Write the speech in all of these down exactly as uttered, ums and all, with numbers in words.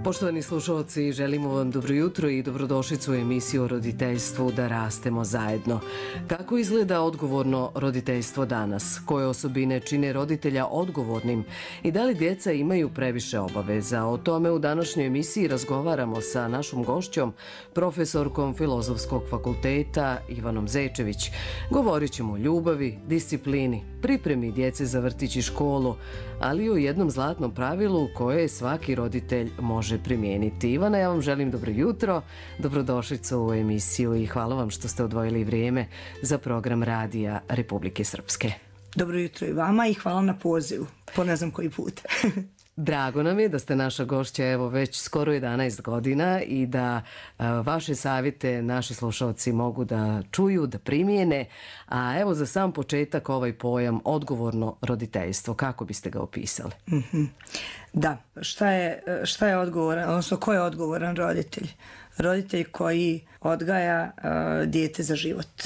Poštovani slušalci, želimo vam dobro jutro i dobrodošlicu u emisiju o roditeljstvu Da rastemo zajedno. Kako izgleda odgovorno roditeljstvo danas? Koje osobine čine roditelja odgovornim i da li djeca imaju previše obaveza? O tome u današnjoj emisiji razgovaramo sa našom gošćom, profesorkom Filozofskog fakulteta Ivanom Zečević. Govorit ćemo o ljubavi, disciplini, pripremi djece za vrtić i školu, ali i o jednom zlatnom pravilu koje svaki roditelj može primijeniti. Ivana, ja vam želim dobro jutro, dobrodošlicu u emisiju i hvala vam što ste odvojili vrijeme za program Radija Republike Srpske. Dobro jutro i vama i hvala na pozivu, po ne znam koji put. Drago nam je da ste naša gošća evo već skoro jedanaest godina i da a, vaše savjete naši slušalci mogu da čuju, da primijene. A evo za sam početak ovaj pojam odgovorno roditeljstvo, kako biste ga opisali? Mm-hmm. Da, šta je, šta je odgovoran, odnosno ko je odgovoran roditelj? Roditelj koji odgaja uh, dijete za život.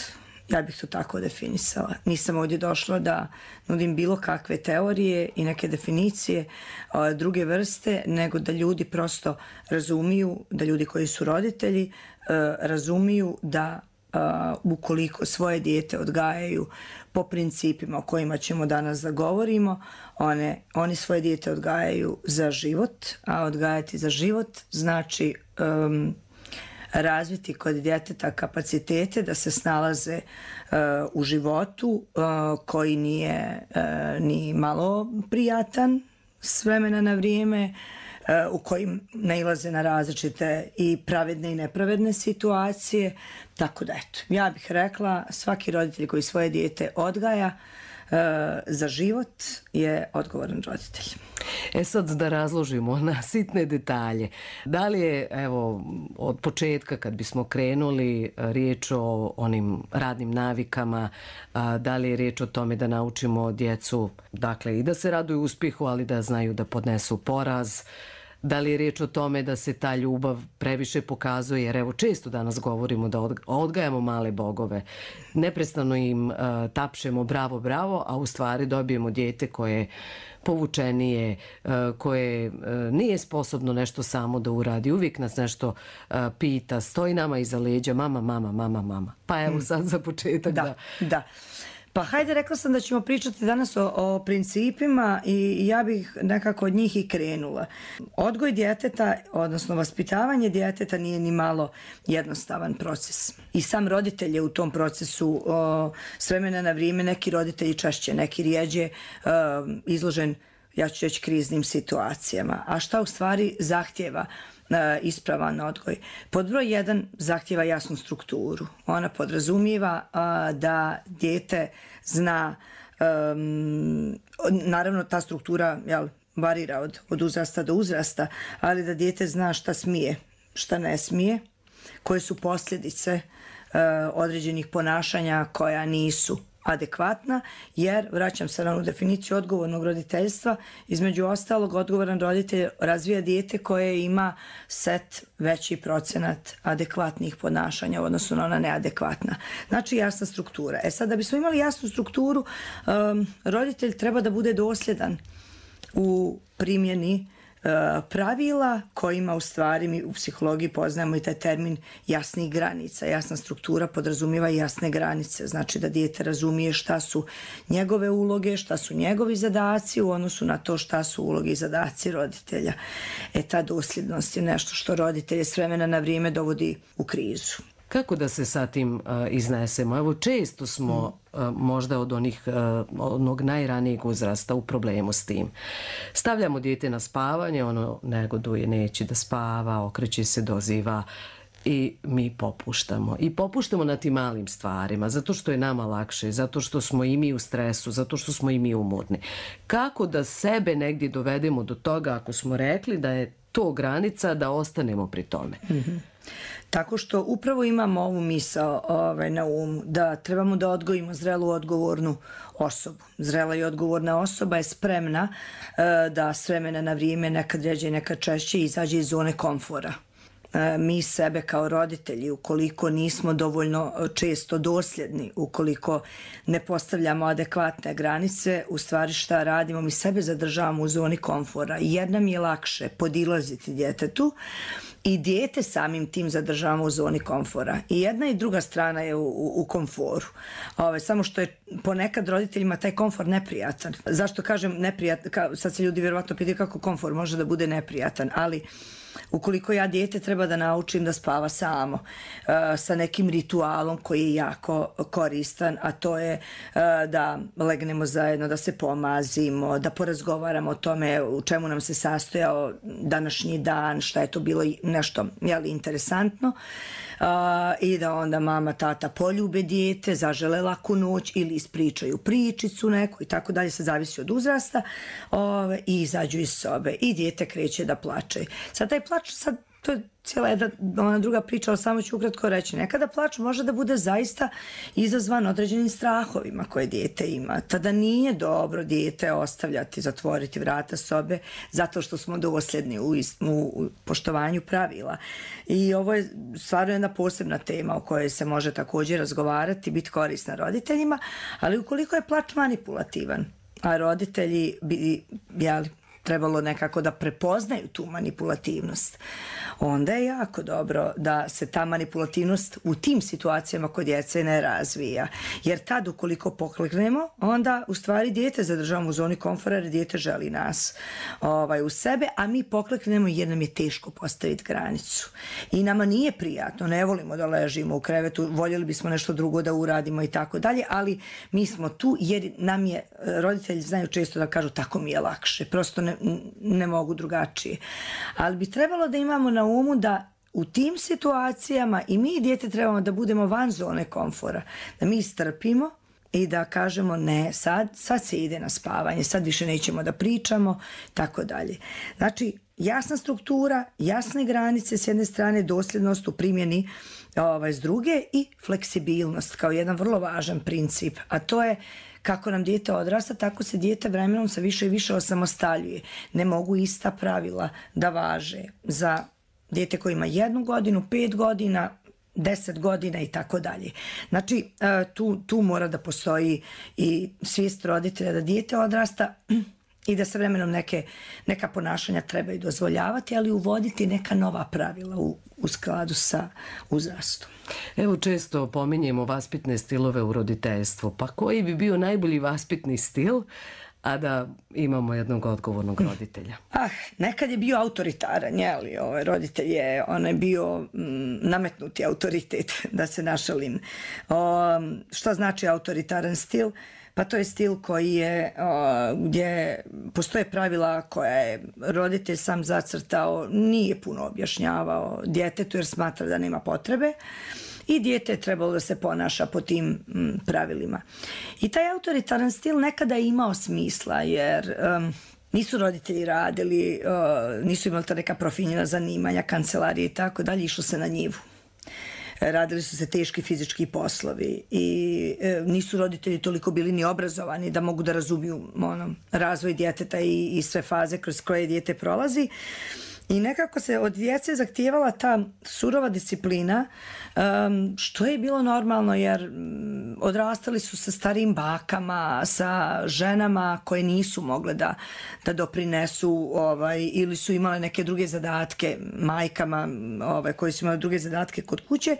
Ja bih to tako definisala. Nisam ovdje došla da nudim bilo kakve teorije i neke definicije uh, druge vrste, nego da ljudi prosto razumiju, da ljudi koji su roditelji uh, razumiju da uh, ukoliko svoje dijete odgajaju po principima o kojima ćemo danas da govorimo, one, oni svoje dijete odgajaju za život, a odgajati za život znači um, razviti kod djeteta kapacitete da se snalaze uh, u životu uh, koji nije uh, ni malo prijatan s vremena na vrijeme, uh, u kojim nailaze na različite i pravedne i nepravedne situacije. Tako da eto, ja bih rekla svaki roditelj koji svoje dijete odgaja Uh, za život je odgovoran roditelj. E sad da razložimo na sitne detalje. Da li je, evo, od početka kad bismo krenuli riječ o onim radnim navikama, a, da li je riječ o tome da naučimo djecu, dakle, i da se raduju uspjehu, ali da znaju da podnesu poraz? Da li je riječ o tome da se ta ljubav previše pokazuje, jer evo često danas govorimo da odgajamo male bogove, neprestano im uh, tapšemo bravo, bravo, a u stvari dobijemo dijete koje je povučenije, uh, koje uh, nije sposobno nešto samo da uradi, uvijek nas nešto uh, pita, stoji nama iza leđa, mama, mama, mama, mama. Pa evo sad za početak da... Da, da. Pa hajde, rekla sam da ćemo pričati danas o, o principima i ja bih nekako od njih i krenula. Odgoj djeteta, odnosno vaspitavanje djeteta nije ni malo jednostavan proces. I sam roditelj je u tom procesu o, s vremena na vrijeme, neki roditelji češće, neki rijeđe o, izložen, ja ću reći, kriznim situacijama. A šta u stvari zahtjeva ispravan odgoj? Pod broj jedan zahtjeva jasnu strukturu. Ona podrazumijeva a, da dijete zna, um, naravno ta struktura jel, varira od, od uzrasta do uzrasta, ali da dijete zna šta smije, šta ne smije, koje su posljedice uh, određenih ponašanja koja nisu adekvatna, jer, vraćam se na onu definiciju odgovornog roditeljstva, između ostalog odgovoran roditelj razvija dijete koje ima set veći procenat adekvatnih ponašanja u odnosu na ona neadekvatna. Znači jasna struktura. E sad, da bismo imali jasnu strukturu, um, roditelj treba da bude dosljedan u primjeni pravila kojima u stvari mi u psihologiji poznajemo i taj termin jasnih granica. Jasna struktura podrazumijeva jasne granice. Znači da dijete razumije šta su njegove uloge, šta su njegovi zadaci u odnosu na to šta su uloge i zadaci roditelja. E ta dosljednost je nešto što roditelje s vremena na vrijeme dovodi u krizu. Kako da se sa tim uh, iznesemo? Evo, često smo uh, možda od onih, uh, onog najranijeg uzrasta u problemu s tim. Stavljamo dijete na spavanje, ono negoduje, neće da spava, okreće se, doziva i mi popuštamo. I popuštamo na tim malim stvarima, zato što je nama lakše, zato što smo i mi u stresu, zato što smo i mi umorni. Kako da sebe negdje dovedemo do toga, ako smo rekli da je to granica, da ostanemo pri tome? Mm-hmm. Tako što upravo imamo ovu misao ovaj, na umu, da trebamo da odgojimo zrelu odgovornu osobu. Zrela i odgovorna osoba je spremna uh, da s vremena na vrijeme, nekad ređe, nekad češće, izađe iz zone komfora. mi sebe kao roditelji, ukoliko nismo dovoljno često dosljedni, ukoliko ne postavljamo adekvatne granice, u stvari šta radimo? Mi sebe zadržavamo u zoni komfora, jer nam je lakše podilaziti djetetu i dijete samim tim zadržavamo u zoni komfora. I jedna i druga strana je u, u, u komforu. Ove, samo što je ponekad roditeljima taj komfor neprijatan. Zašto kažem neprijatan? Ka, sad se ljudi vjerovatno pitaju kako komfor može da bude neprijatan, ali ukoliko ja dijete treba da naučim da spava samo, uh, sa nekim ritualom koji je jako koristan, a to je uh, da legnemo zajedno, da se pomazimo, da porazgovaramo o tome u čemu nam se sastojao današnji dan, šta je to bilo nešto jeli, interesantno, uh, i da onda mama, tata poljube dijete, zažele laku noć ili ispričaju pričicu neku i tako dalje, se zavisi od uzrasta, uh, i izađu iz sobe i dijete kreće da plače. Sad taj plač, sad to je cijela jedna ona druga priča, ali samo ću ukratko reći. Nekada plač može da bude zaista izazvan određenim strahovima koje dijete ima. Tada nije dobro dijete ostavljati, zatvoriti vrata sobe zato što smo dosljedni u, u poštovanju pravila. I ovo je stvarno jedna posebna tema o kojoj se može također razgovarati, biti korisna roditeljima, ali ukoliko je plač manipulativan, a roditelji bi, jeli, trebalo nekako da prepoznaju tu manipulativnost, onda je jako dobro da se ta manipulativnost u tim situacijama kod djece ne razvija. Jer tad ukoliko pokleknemo, onda u stvari dijete zadržavamo u zoni komfora jer dijete želi nas ovaj, u sebe, a mi pokleknemo jer nam je teško postaviti granicu. I nama nije prijatno, ne volimo da ležimo u krevetu, voljeli bismo nešto drugo da uradimo i tako dalje, ali mi smo tu jer nam je, roditelji znaju često da kažu tako mi je lakše, prosto ne, ne mogu drugačije. Ali bi trebalo da imamo na umu da u tim situacijama i mi i dijete trebamo da budemo van zone komfora, da mi strpimo i da kažemo ne, sad, sad se ide na spavanje, sad više nećemo da pričamo, tako dalje. Znači, jasna struktura, jasne granice s jedne strane, dosljednost u primjeni ovaj, s druge i fleksibilnost kao jedan vrlo važan princip, a to je kako nam dijete odrasta, tako se dijete vremenom se više i više osamostaljuje. Ne mogu ista pravila da važe za dijete koje ima jednu godinu, pet godina, deset godina i tako dalje. Znači, tu, tu mora da postoji i svijest roditelja da dijete odrasta i da se vremenom neke, neka ponašanja trebaju dozvoljavati, ali uvoditi neka nova pravila u, u skladu sa uzrastom. Evo često pominjemo vaspitne stilove u roditeljstvu. Pa koji bi bio najbolji vaspitni stil, a da imamo jednog odgovornog roditelja? Ah, nekad je bio autoritaran, jeli, ovaj roditelj je, on je bio mm, nametnuti autoritet, da se našalim. O, šta znači autoritaran stil? Pa to je stil koji je, o, gdje postoje pravila koja je roditelj sam zacrtao, nije puno objašnjavao djetetu jer smatra da nema potrebe. I dijete je trebalo da se ponaša po tim m, pravilima. I taj autoritaran stil nekada je imao smisla, jer um, nisu roditelji radili, uh, nisu imali ta neka profinjena zanimanja, kancelarije i tako dalje, išlo se na njivu. Radili su se teški fizički poslovi i e, nisu roditelji toliko bili ni obrazovani da mogu da razumiju ono, razvoj djeteta i, i sve faze kroz koje dijete prolazi. I nekako se od djece zahtijevala ta surova disciplina, um, što je bilo normalno jer um, odrastali su sa starijim bakama, sa ženama koje nisu mogle da, da doprinesu ovaj, ili su imale neke druge zadatke, majkama ovaj, koje su imale druge zadatke kod kuće.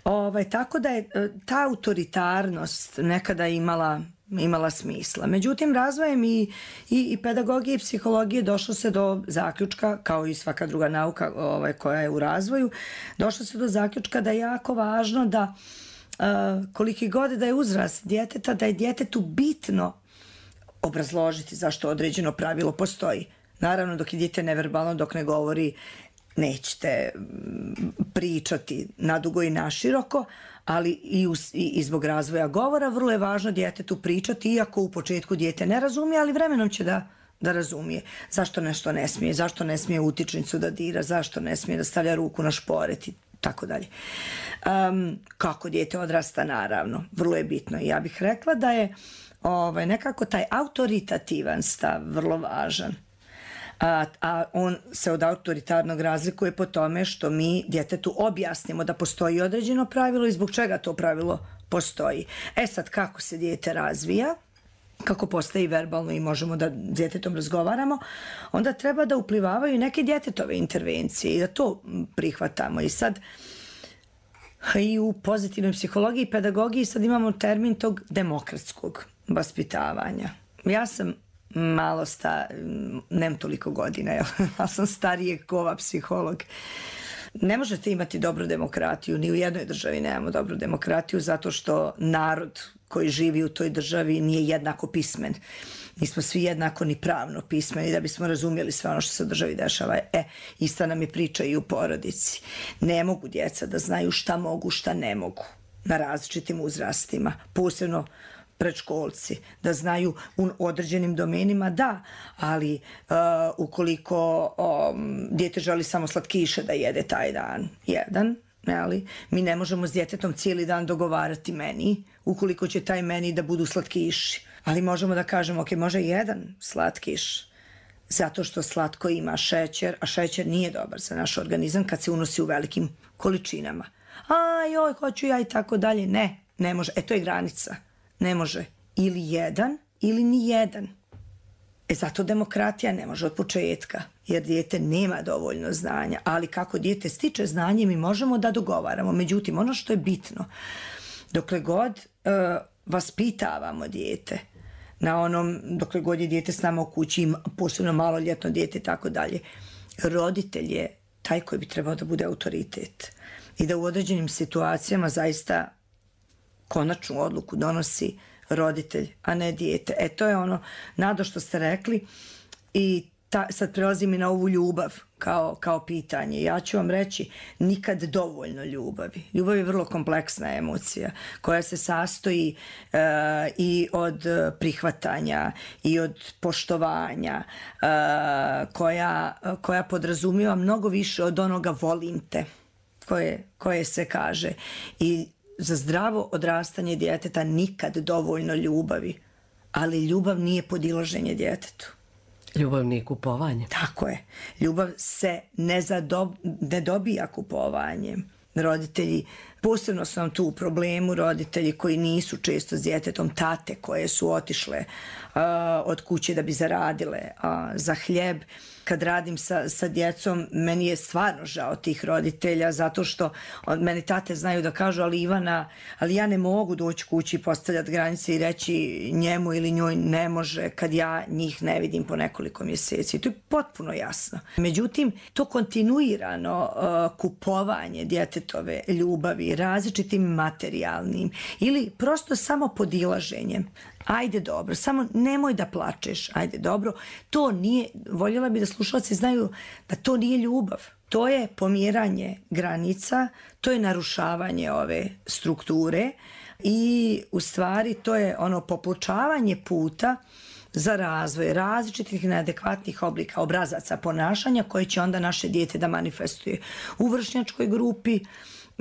Ovaj, tako da je ta autoritarnost nekada imala imala smisla. Međutim, razvojem i, i, i pedagogije i psihologije došlo se do zaključka, kao i svaka druga nauka ovaj, koja je u razvoju, došlo se do zaključka da je jako važno da uh, koliki god da je uzrast djeteta, da je djetetu bitno obrazložiti zašto određeno pravilo postoji. Naravno, dok je dijete neverbalno, dok ne govori, nećete pričati nadugo i naširoko, ali i, uz, i, i zbog razvoja govora vrlo je važno djetetu pričati, iako u početku dijete ne razumije, ali vremenom će da, da razumije zašto nešto ne smije, zašto ne smije utičnicu da dira, zašto ne smije da stavlja ruku na šporet i tako dalje. Um, kako dijete odrasta, naravno, vrlo je bitno. Ja bih rekla da je ovaj, nekako taj autoritativan stav vrlo važan. A, a on se od autoritarnog razlikuje po tome što mi djetetu objasnimo da postoji određeno pravilo i zbog čega to pravilo postoji. E sad, kako se dijete razvija, kako postaje verbalno i možemo da djetetom razgovaramo, onda treba da uplivavaju neke djetetove intervencije i da to prihvatamo. I sad i u pozitivnoj psihologiji i pedagogiji sad imamo termin tog demokratskog vaspitavanja. Ja sam malo sta, nemam toliko godina, ali sam starijeg kova psiholog. Ne možete imati dobru demokratiju, ni u jednoj državi nemamo dobru demokratiju zato što narod koji živi u toj državi nije jednako pismen. Nismo svi jednako ni pravno pismeni da bismo razumjeli sve ono što se u državi dešava. E, ista nam je priča i u porodici. Ne mogu djeca da znaju šta mogu, šta ne mogu na različitim uzrastima, posebno predškolci, da znaju u određenim domenima, da, ali uh, ukoliko um, dijete želi samo slatkiše da jede taj dan, jedan, ali mi ne možemo s djetetom cijeli dan dogovarati meni, ukoliko će taj meni da budu slatkiši. Ali možemo da kažemo, ok, može jedan slatkiš, zato što slatko ima šećer, a šećer nije dobar za naš organizam kad se unosi u velikim količinama. A joj, hoću ja i tako dalje. Ne, ne može. E, to je granica. Ne može ili jedan ili ni jedan. E zato demokratija ne može od početka, jer dijete nema dovoljno znanja, ali kako dijete stiče znanje mi možemo da dogovaramo. Međutim, ono što je bitno, dokle god uh, vaspitavamo dijete, na onom, dokle god je dijete s nama u kući, posebno maloljetno dijete i tako dalje, roditelj je taj koji bi trebao da bude autoritet i da u određenim situacijama zaista konačnu odluku donosi roditelj, a ne dijete. E, to je ono, Nado, što ste rekli i ta, sad prelazim i na ovu ljubav kao, kao pitanje. Ja ću vam reći, nikad dovoljno ljubavi. Ljubav je vrlo kompleksna emocija koja se sastoji uh, i od prihvatanja i od poštovanja, uh, koja, koja podrazumijeva mnogo više od onoga volim te koje, koje se kaže. I za zdravo odrastanje djeteta nikad dovoljno ljubavi, ali ljubav nije podilaženje djetetu. Ljubav nije kupovanje. Tako je. Ljubav se ne, zadob, ne dobija kupovanjem. Roditelji, posebno su nam tu u problemu roditelji koji nisu često s djetetom, tate koje su otišle uh, od kuće da bi zaradile uh, za hljeb. Kad radim sa, sa djecom, meni je stvarno žao tih roditelja zato što od meni tate znaju da kažu, ali Ivana, ali ja ne mogu doći kući i postavljati granice i reći njemu ili njoj ne može kad ja njih ne vidim po nekoliko mjeseci. To je potpuno jasno. Međutim, to kontinuirano uh, kupovanje djetetove ljubavi različitim materijalnim ili prosto samo podilaženjem. Ajde dobro, samo nemoj da plačeš, ajde dobro, to nije, voljela bi da slušalci znaju da to nije ljubav, to je pomjeranje granica, to je narušavanje ove strukture i u stvari to je ono popločavanje puta za razvoj različitih neadekvatnih oblika obrazaca ponašanja koje će onda naše dijete da manifestuje u vršnjačkoj grupi,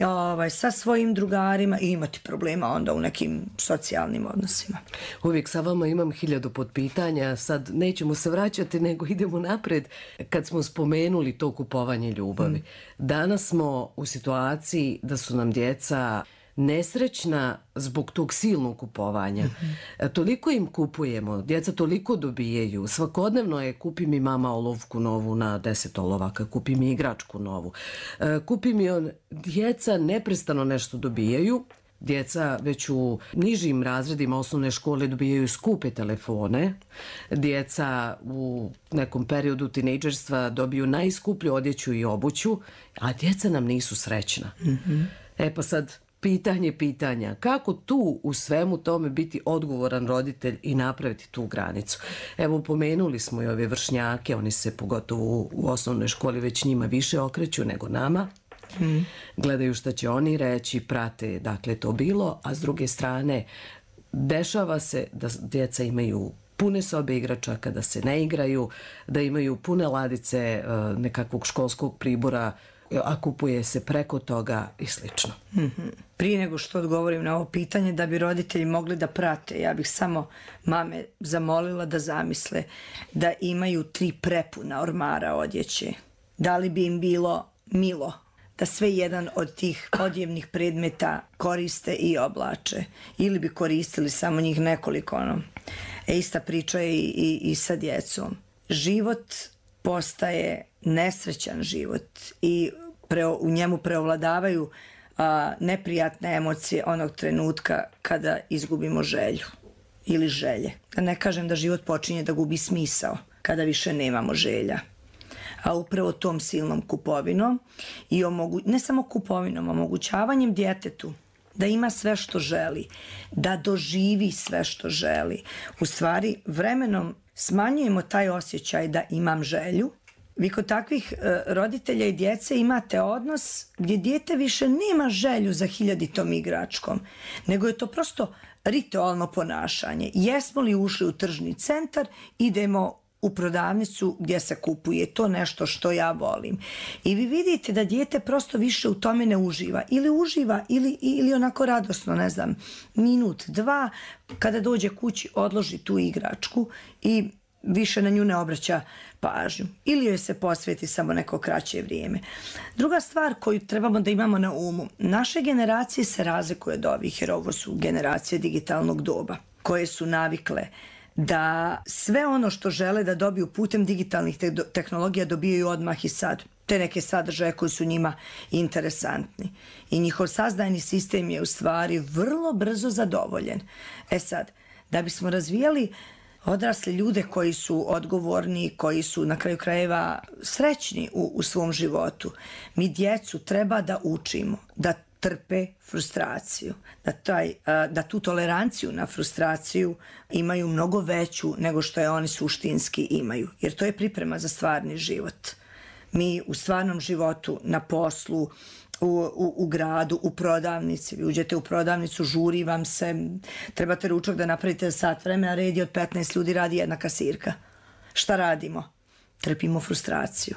Ovaj, sa svojim drugarima i imati problema onda u nekim socijalnim odnosima. Uvijek sa vama imam hiljadu potpitanja, sad nećemo se vraćati nego idemo napred. Kad smo spomenuli to kupovanje ljubavi, mm. danas smo u situaciji da su nam djeca nesrećna zbog tog silnog kupovanja. Mm-hmm. Toliko im kupujemo, djeca toliko dobijaju. Svakodnevno je kupi mi mama olovku novu na deset olovaka, kupi mi igračku novu. Kupi mi on, djeca neprestano nešto dobijaju. Djeca već u nižim razredima osnovne škole dobijaju skupe telefone. Djeca u nekom periodu tinejdžerstva dobiju najskuplju odjeću i obuću, a djeca nam nisu srećna. Mm-hmm. E pa sad, pitanje pitanja, kako tu u svemu tome biti odgovoran roditelj i napraviti tu granicu? Evo, pomenuli smo i ove vršnjake, oni se pogotovo u osnovnoj školi već njima više okreću nego nama. Hmm. Gledaju šta će oni reći, prate dakle to bilo, a s druge strane dešava se da djeca imaju pune sobe igračaka, da se ne igraju, da imaju pune ladice nekakvog školskog pribora a kupuje se preko toga i slično. Mm-hmm. Prije nego što odgovorim na ovo pitanje, da bi roditelji mogli da prate, ja bih samo mame zamolila da zamisle da imaju tri prepuna ormara odjeće. Da li bi im bilo milo da sve jedan od tih odjevnih predmeta koriste i oblače, ili bi koristili samo njih nekoliko, ono. E, ista priča je i, i, i sa djecom. Život postaje nesrećan život i pre, u njemu preovladavaju a, neprijatne emocije onog trenutka kada izgubimo želju ili želje. Da ne kažem da život počinje da gubi smisao kada više nemamo želja. A upravo tom silnom kupovinom i omogu... ne samo kupovinom, omogućavanjem djetetu da ima sve što želi, da doživi sve što želi. U stvari, vremenom smanjujemo taj osjećaj da imam želju. Vi kod takvih e, roditelja i djece imate odnos gdje dijete više nema želju za hiljaditom igračkom, nego je to prosto ritualno ponašanje. Jesmo li ušli u tržni centar, idemo u prodavnicu gdje se kupuje to nešto što ja volim. I vi vidite da dijete prosto više u tome ne uživa. Ili uživa, ili, ili onako radosno, ne znam, minut, dva, kada dođe kući, odloži tu igračku i više na nju ne obraća pažnju. Ili joj se posveti samo neko kraće vrijeme. Druga stvar koju trebamo da imamo na umu, naše generacije se razlikuju od ovih, jer ovo su generacije digitalnog doba, koje su navikle da sve ono što žele da dobiju putem digitalnih te- tehnologija dobijaju odmah i sad. Te neke sadržaje koji su njima interesantni. I njihov sazdajni sistem je u stvari vrlo brzo zadovoljen. E sad, da bismo razvijali odrasli ljude koji su odgovorni, koji su na kraju krajeva srećni u, u svom životu, mi djecu treba da učimo da trpe frustraciju, da, taj, da tu toleranciju na frustraciju imaju mnogo veću nego što je oni suštinski imaju, jer to je priprema za stvarni život. Mi u stvarnom životu, na poslu, u, u, u gradu, u prodavnici, vi uđete u prodavnicu, žuri vam se, trebate ručak da napravite sat vremena, red je od petnaest ljudi, radi jedna kasirka. Šta radimo? Trpimo frustraciju.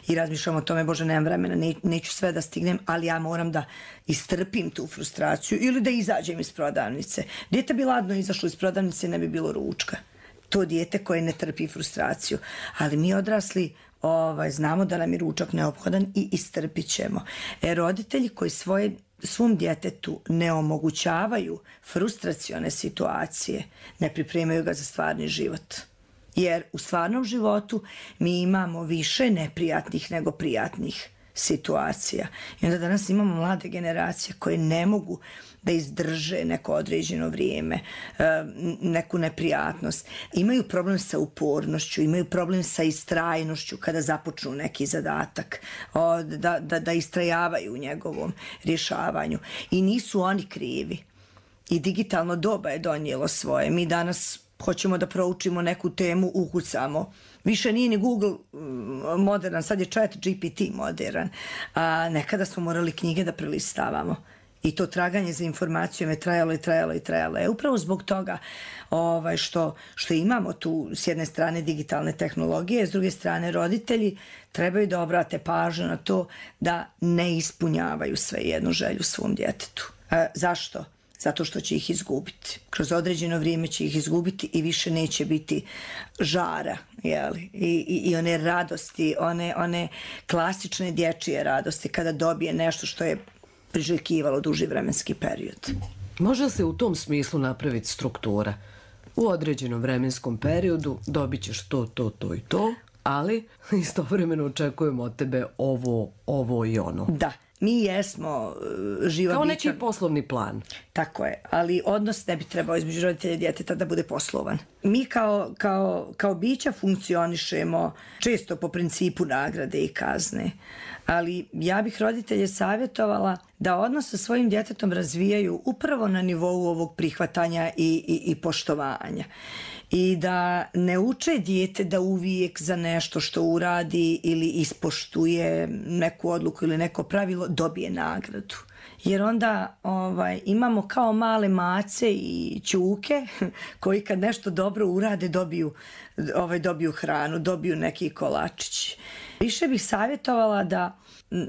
I razmišljam o tome, Bože, nemam vremena, ne, neću sve da stignem, ali ja moram da istrpim tu frustraciju ili da izađem iz prodavnice. Dijete bi ladno izašlo iz prodavnice, ne bi bilo ručka. To dijete koje ne trpi frustraciju. Ali mi odrasli ovaj, znamo da nam je ručak neophodan i istrpit ćemo. E, roditelji koji svoje, svom djetetu ne omogućavaju frustracione situacije, ne pripremaju ga za stvarni život. Jer u stvarnom životu mi imamo više neprijatnih nego prijatnih situacija. I onda danas imamo mlade generacije koje ne mogu da izdrže neko određeno vrijeme, neku neprijatnost. Imaju problem sa upornošću, imaju problem sa istrajnošću kada započnu neki zadatak, da, da, da istrajavaju u njegovom rješavanju. I nisu oni krivi. I digitalno doba je donijelo svoje. Mi danas hoćemo da proučimo neku temu, ukucamo. Više nije ni Google modern, sad je Chat G P T modern. A nekada smo morali knjige da prelistavamo. I to traganje za informacijom je trajalo i trajalo i trajalo. E, upravo zbog toga ovaj, što, što imamo tu s jedne strane digitalne tehnologije, s druge strane roditelji trebaju da obrate pažnju na to da ne ispunjavaju sve jednu želju svom djetetu. E, zašto? Zato što će ih izgubiti. Kroz određeno vrijeme će ih izgubiti i više neće biti žara, jeli? I, i, i one radosti, one, one klasične dječje radosti kada dobije nešto što je priželjkivalo duži vremenski period. Može se u tom smislu napraviti struktura. U određenom vremenskom periodu dobit ćeš to, to, to i to, ali istovremeno očekujemo od tebe ovo, ovo i ono. Da. Mi jesmo živa kao bića. Neki poslovni plan. Tako je, ali odnos ne bi trebao između roditelja i djeteta da bude poslovan. Mi kao, kao, kao bića funkcionišemo često po principu nagrade i kazne, ali ja bih roditelje savjetovala da odnos sa svojim djetetom razvijaju upravo na nivou ovog prihvatanja i, i, i poštovanja. I da ne uče dijete da uvijek za nešto što uradi ili ispoštuje neku odluku ili neko pravilo dobije nagradu. Jer onda ovaj, imamo kao male mace i ćuke koji kad nešto dobro urade dobiju, ovaj, dobiju hranu, dobiju neki kolačić. Više bih savjetovala da,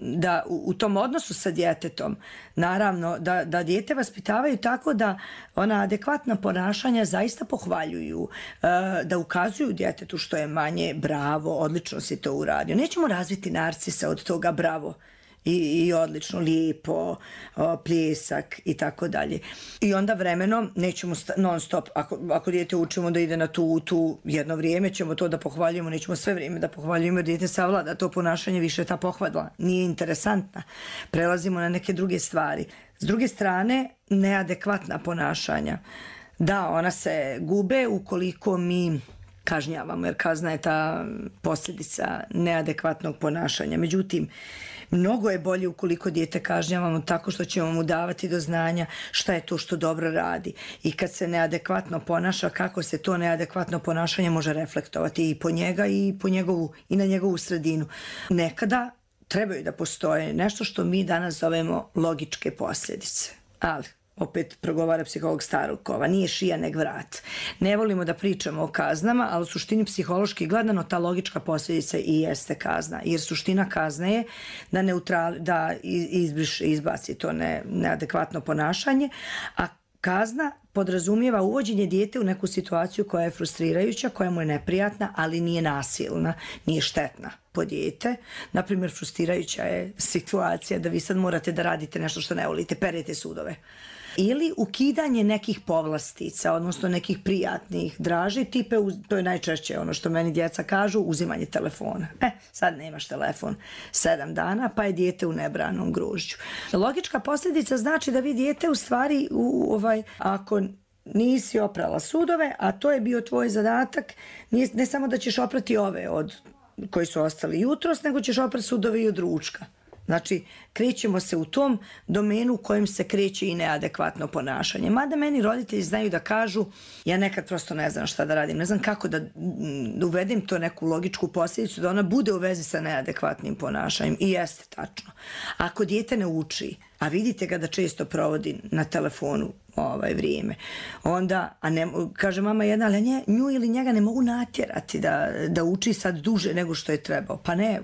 da u, u tom odnosu sa djetetom, naravno, da, da dijete vaspitavaju tako da ona adekvatna ponašanja zaista pohvaljuju, da ukazuju djetetu što je manje, bravo, odlično si to uradio. Nećemo razviti narcisa od toga bravo. I, i odlično, lijepo, o, pljesak i tako dalje. I onda vremenom nećemo sta, non stop, ako, ako dijete učimo da ide na tu, tu jedno vrijeme ćemo to da pohvaljujemo, nećemo sve vrijeme da pohvaljujemo jer dijete savlada to ponašanje, više ta pohvala nije interesantna. Prelazimo na neke druge stvari. S druge strane, neadekvatna ponašanja. Da, ona se gube ukoliko mi kažnjavamo, jer kazna je ta posljedica neadekvatnog ponašanja. Međutim, mnogo je bolje ukoliko dijete kažnjavamo tako što ćemo mu davati do znanja šta je to što dobro radi. I kad se neadekvatno ponaša, kako se to neadekvatno ponašanje može reflektovati i po njega i po njegovu, i na njegovu sredinu. Nekada trebaju da postoje nešto što mi danas zovemo logičke posljedice. Ali opet progovara psiholog starog kova, nije šija nego vrat. Ne volimo da pričamo o kaznama, ali u suštini psihološki gledano ta logička posljedica i jeste kazna. Jer suština kazne je da, neutral, da izbriš, izbaci to ne, neadekvatno ponašanje, a kazna podrazumijeva uvođenje dijete u neku situaciju koja je frustrirajuća, koja mu je neprijatna, ali nije nasilna, nije štetna po dijete. Naprimjer, frustrirajuća je situacija da vi sad morate da radite nešto što ne volite, perete sudove. Ili ukidanje nekih povlastica, odnosno nekih prijatnih draži, tipe, to je najčešće ono što meni djeca kažu, uzimanje telefona. E, sad nemaš telefon sedam dana, pa je dijete u nebranom grožđu. Logička posljedica znači da vi dijete u stvari, u, ovaj, ako nisi oprala sudove, a to je bio tvoj zadatak, nije, ne samo da ćeš oprati ove od koji su ostali jutros, nego ćeš oprati sudove i od ručka. Znači, krećemo se u tom domenu u kojem se kreće i neadekvatno ponašanje. Mada meni roditelji znaju da kažu, ja nekad prosto ne znam šta da radim, ne znam kako da uvedem to neku logičku posljedicu, da ona bude u vezi sa neadekvatnim ponašanjem. I jeste tačno. Ako dijete ne uči, a vidite ga da često provodi na telefonu ovaj vrijeme, onda, a ne, kaže mama jedna, ali nje, nju ili njega ne mogu natjerati da, da uči sad duže nego što je trebao. Pa ne,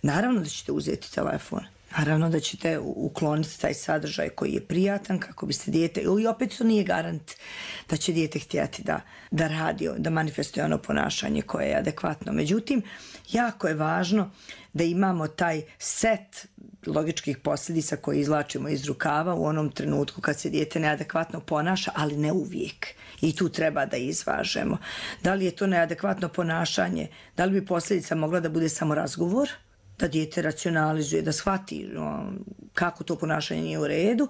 naravno da ćete uzeti telefon. Naravno da ćete ukloniti taj sadržaj koji je prijatan kako biste dijete, i opet to nije garant da će dijete htjeti da, da radi, da manifestuje ono ponašanje koje je adekvatno. Međutim, jako je važno da imamo taj set logičkih posljedica koje izvlačimo iz rukava u onom trenutku kad se dijete neadekvatno ponaša, ali ne uvijek. I tu treba da izvažemo. Da li je to neadekvatno ponašanje, da li bi posljedica mogla da bude samo razgovor, da dijete racionalizuje, da shvati no, kako to ponašanje nije u redu,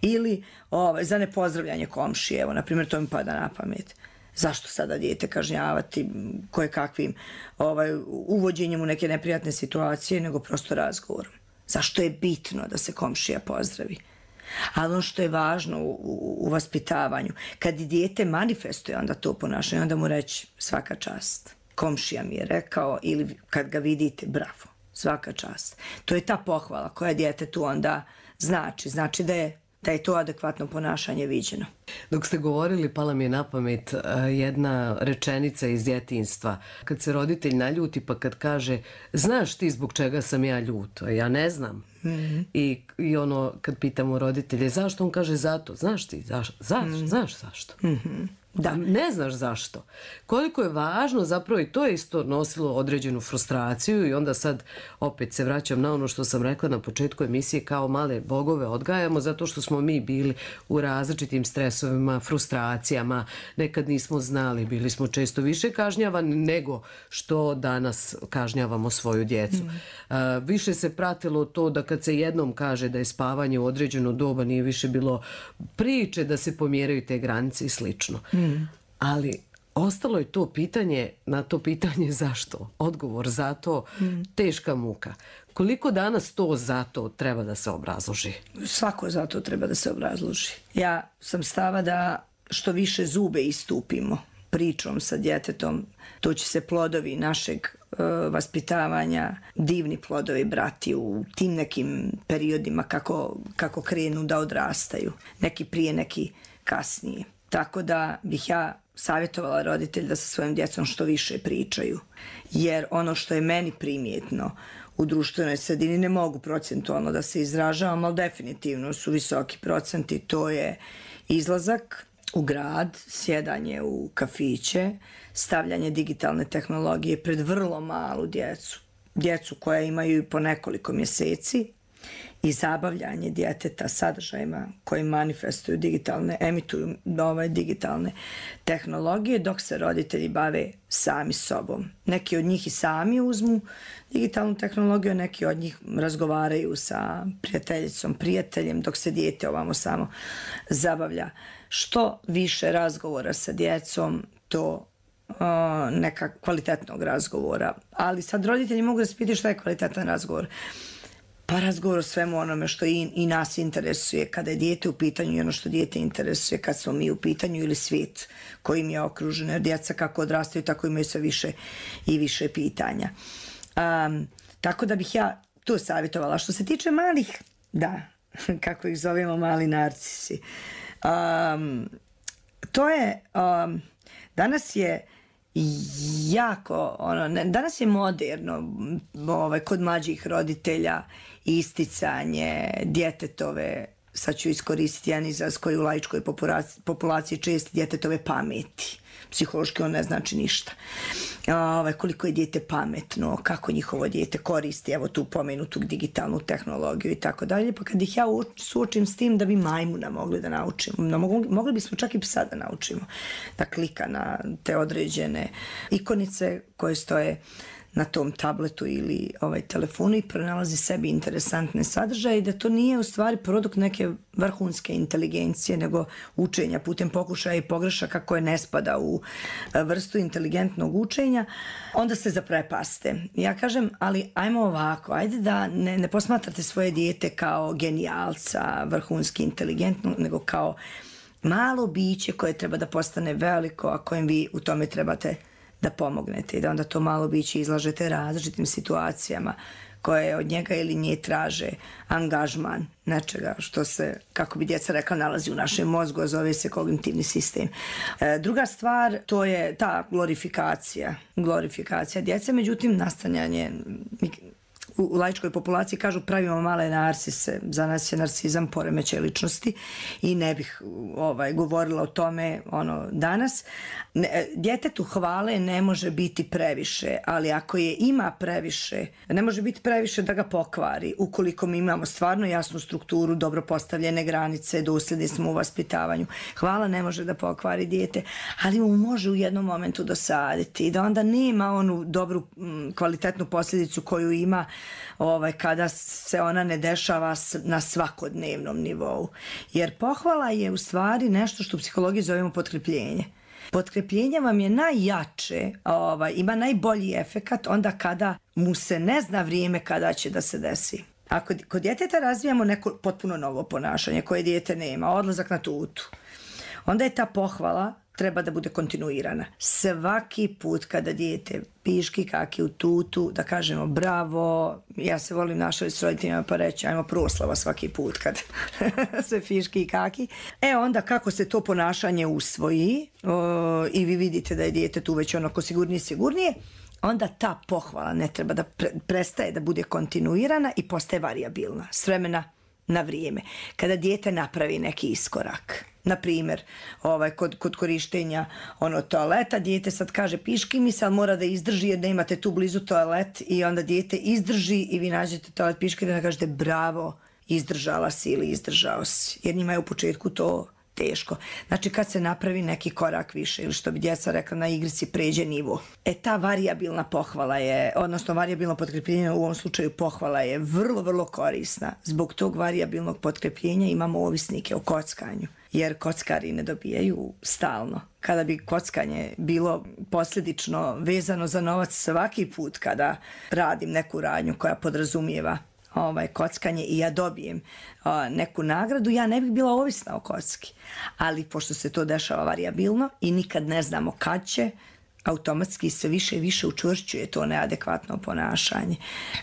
ili ovaj, za nepozdravljanje komšije, evo, na primjer, to mi pada na pamet. Zašto sada dijete kažnjavati koje kakvim ovaj, uvođenjem u neke neprijatne situacije, nego prosto razgovorom? Zašto je bitno da se komšija pozdravi? Ali ono što je važno u, u, u vaspitavanju, kad dijete manifestuje onda to ponašanje, onda mu reći svaka čast. Komšija mi je rekao, ili kad ga vidite, bravo, svaka čast. To je ta pohvala koja djetetu onda znači. Znači da je da je to adekvatno ponašanje viđeno. Dok ste govorili, pala mi je na pamet jedna rečenica iz djetinjstva. Kad se roditelj naljuti pa kad kaže, znaš ti zbog čega sam ja ljut? Ja ne znam. Mm-hmm. I, I ono, kad pitamo roditelje, zašto? On kaže, zato. Znaš ti, zaš, zaš, mm-hmm. znaš zašto? Mm-hmm. Da. Ne znaš zašto. Koliko je važno, zapravo i to je isto nosilo određenu frustraciju i onda sad opet se vraćam na ono što sam rekla na početku emisije, kao male bogove odgajamo zato što smo mi bili u različitim stresovima, frustracijama, nekad nismo znali, bili smo često više kažnjavani nego što danas kažnjavamo svoju djecu. Mm. Uh, više se pratilo to da kad se jednom kaže da je spavanje u određeno doba, nije više bilo priče da se pomjeraju te granice i slično. Mm. Mm. Ali ostalo je to pitanje, na to pitanje zašto, odgovor za to, mm. teška muka. Koliko danas to zato treba da se obrazloži? Svako zato treba da se obrazloži. Ja sam stava da što više zube istupimo pričom sa djetetom, to će se plodovi našeg uh, vaspitavanja, divni plodovi brati u tim nekim periodima kako, kako krenu da odrastaju. Neki prije, neki kasnije. Tako da bih ja savjetovala roditelj da sa svojim djecom što više pričaju. Jer ono što je meni primjetno u društvenoj sredini, ne mogu procentualno da se izražavam, ali definitivno su visoki procenti, to je izlazak u grad, sjedanje u kafiće, stavljanje digitalne tehnologije pred vrlo malu djecu, djecu koja imaju po nekoliko mjeseci, i zabavljanje djeteta sadržajima koji manifestuju digitalne, emituju nove digitalne tehnologije, dok se roditelji bave sami sobom. Neki od njih i sami uzmu digitalnu tehnologiju, neki od njih razgovaraju sa prijateljicom, prijateljem, dok se dijete ovamo samo zabavlja. Što više razgovora sa djecom, to uh, neka kvalitetnog razgovora. Ali sad roditelji mogu da se pitaju šta je kvalitetan razgovor. Pa razgovor o svemu onome što i, i nas interesuje kada je dijete u pitanju i ono što dijete interesuje kad smo mi u pitanju ili svijet kojim je okružen. Jer djeca kako odrastaju tako imaju sve više i više pitanja. Um, tako da bih ja tu savjetovala. Što se tiče malih, da, kako ih zovemo, mali narcisi. Um, to je, um, danas je jako, ono, ne, danas je moderno ovaj, kod mlađih roditelja isticanje djetetove, sad ću iskoristiti jedan izraz koji u laičkoj populaciji, populaciji često, djetetove pameti. Psihološki on ne znači ništa. Ovaj, koliko je dijete pametno, kako njihovo dijete koristi, evo tu pomenutu digitalnu tehnologiju i tako dalje. Pa kad ih ja suočim s tim da bi majmuna mogli da naučimo, no, mogli, mogli bismo čak i psa da naučimo da klika na te određene ikonice koje stoje na tom tabletu ili ovaj telefonu i pronalazi sebi interesantne sadržaje i da to nije u stvari produkt neke vrhunske inteligencije, nego učenja putem pokušaja i pogrešaka koje ne spada u vrstu inteligentnog učenja, onda se zaprepaste. Ja kažem, ali ajmo ovako, ajde da ne, ne posmatrate svoje dijete kao genijalca, vrhunski inteligentno, nego kao malo biće koje treba da postane veliko, a kojem vi u tome trebate da pomognete i da onda to malo biće izlažete različitim situacijama koje od njega ili nje traže angažman nečega što se, kako bi djeca rekla, nalazi u našem mozgu, a zove se kognitivni sistem. E, druga stvar, to je ta glorifikacija, glorifikacija djece, međutim, nastanjanje u, u laičkoj populaciji kažu pravimo male narsise, za nas je narsizam poremećaj ličnosti i ne bih ovaj, govorila o tome ono danas. Ne, djetetu hvale ne može biti previše, ali ako je ima previše, ne može biti previše da ga pokvari. Ukoliko mi imamo stvarno jasnu strukturu, dobro postavljene granice, dosljedni smo u vaspitavanju. Hvala ne može da pokvari dijete, ali mu može u jednom momentu dosaditi i da onda nema onu dobru kvalitetnu posljedicu koju ima ovaj, kada se ona ne dešava na svakodnevnom nivou. Jer pohvala je u stvari nešto što u psihologiji zovemo potkrepljenje. Potkrepljenje vam je najjače, ovaj, ima najbolji efekat onda kada mu se ne zna vrijeme kada će da se desi. Ako kod djeteta razvijamo neko potpuno novo ponašanje koje dijete nema, odlazak na tutu, onda je ta pohvala treba da bude kontinuirana. Svaki put kada dijete piški kaki u tutu, da kažemo bravo, ja se volim našaliti s roditeljima pa reći ajmo proslava svaki put kad se piški kaki. E onda kako se to ponašanje usvoji o, i vi vidite da je dijete tu već onako sigurnije sigurnije, onda ta pohvala ne treba da pre, prestaje da bude kontinuirana i postaje varijabilna s vremena na vrijeme. Kada dijete napravi neki iskorak, na primjer, ovaj, kod, kod korištenja ono toaleta, dijete sad kaže piški mi se, ali mora da izdrži jer ne imate tu blizu toalet i onda dijete izdrži i vi nađete toalet piški da kažete bravo, izdržala si ili izdržao si. Jer njima je u početku to teško. Znači kad se napravi neki korak više ili što bi djeca rekla na igrici pređe nivo. E ta varijabilna pohvala je, odnosno varijabilno potkrepljenje u ovom slučaju pohvala je vrlo, vrlo korisna. Zbog tog varijabilnog potkrepljenja imamo ovisnike o kockanju. Jer kockari ne dobijaju stalno. Kada bi kockanje bilo posljedično vezano za novac svaki put kada radim neku radnju koja podrazumijeva ovaj, kockanje i ja dobijem o, neku nagradu, ja ne bih bila ovisna o kocki. Ali pošto se to dešava varijabilno i nikad ne znamo kad će, automatski sve više i više učvršćuje to neadekvatno ponašanje.